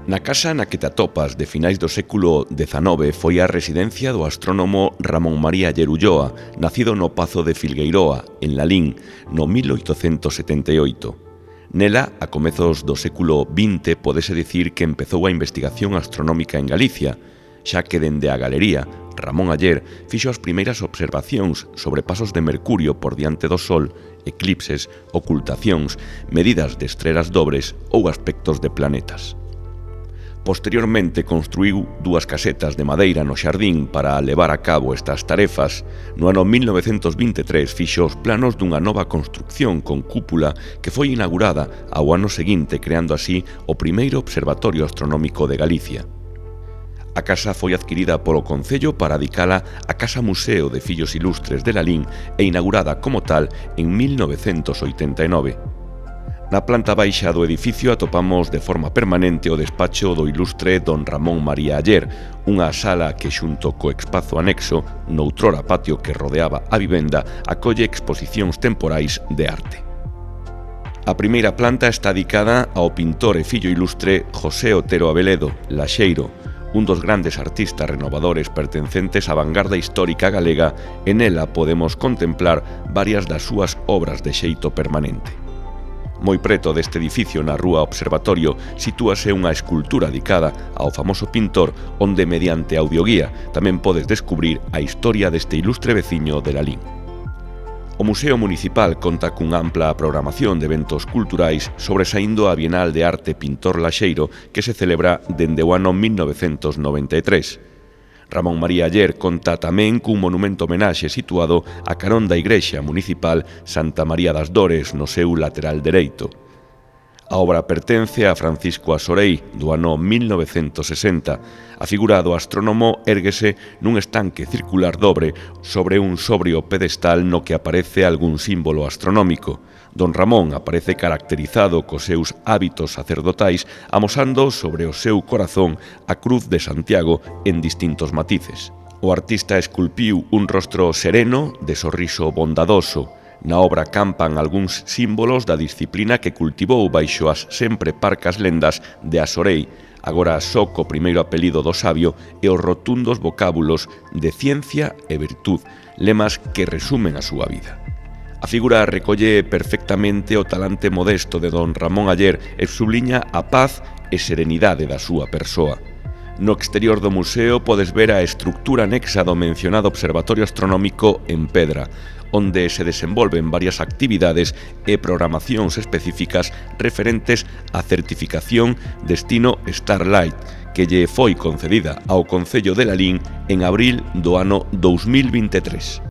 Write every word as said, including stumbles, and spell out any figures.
Na casa na que te atopas de finais do século dezanove foi a residencia do astrónomo Ramón María Aller Ulloa, nacido no Pazo de Filgueiroa, en Lalín, no mil oitocentos setenta e oito. Nela, a comezos do século vinte, podese dicir que empezou a investigación astronómica en Galicia, xa que dende a galería, Ramón Aller fixo as primeiras observacións sobre pasos de Mercurio por diante do Sol, eclipses, ocultacións, medidas de estrelas dobres ou aspectos de planetas. Posteriormente construíu dúas casetas de madeira no xardín para levar a cabo estas tarefas. No ano mil novecentos vinte e tres fixo os planos dunha nova construcción con cúpula que foi inaugurada ao ano seguinte, creando así o primeiro observatorio astronómico de Galicia. A casa foi adquirida polo Concello para adicala a Casa Museo de Fillos Ilustres de Lalín e inaugurada como tal en mil novecentos oitenta e nove. Na planta baixa do edificio atopamos de forma permanente o despacho do ilustre don Ramón María Aller, unha sala que xunto co espazo anexo, noutrora patio que rodeaba a vivenda, acolle exposicións temporais de arte. A primeira planta está dedicada ao pintor e fillo ilustre José Otero Abeledo, Laxeiro, un dos grandes artistas renovadores pertencentes á vanguarda histórica galega, e nela podemos contemplar varias das súas obras de xeito permanente. Moi preto deste edificio, na rúa Observatorio, sitúase unha escultura dedicada ao famoso pintor, onde mediante audioguía tamén podes descubrir a historia deste ilustre veciño de Lalín. O Museo Municipal conta cunha ampla programación de eventos culturais, sobresaindo a Bienal de Arte Pintor Laxeiro, que se celebra dende o ano mil novecentos noventa e tres. Ramón María Aller conta tamén cun monumento homenaxe situado a carón da igrexa municipal Santa María das Dores, no seu lateral dereito. A obra pertence a Francisco Asorei, do ano mil novecentos sesenta. A figura do astrónomo érguese nun estanque circular dobre sobre un sobrio pedestal no que aparece algún símbolo astronómico. Don Ramón aparece caracterizado cos seus hábitos sacerdotais, amosando sobre o seu corazón a cruz de Santiago en distintos matices. O artista esculpiu un rostro sereno, de sorriso bondadoso. Na obra campan algúns símbolos da disciplina que cultivou baixo as sempre parcas lendas de Asorei, agora só co primeiro apelido do sabio, e os rotundos vocábulos de ciencia e virtud, lemas que resumen a súa vida. A figura recolle perfectamente o talante modesto de don Ramón Aller e subliña a paz e serenidade da súa persoa. No exterior do museo podes ver a estructura anexa do mencionado observatorio astronómico en pedra, onde se desenvolven varias actividades e programacións específicas referentes á certificación destino Starlight, que lle foi concedida ao Concello de Lalín en abril do ano dous mil vinte e tres.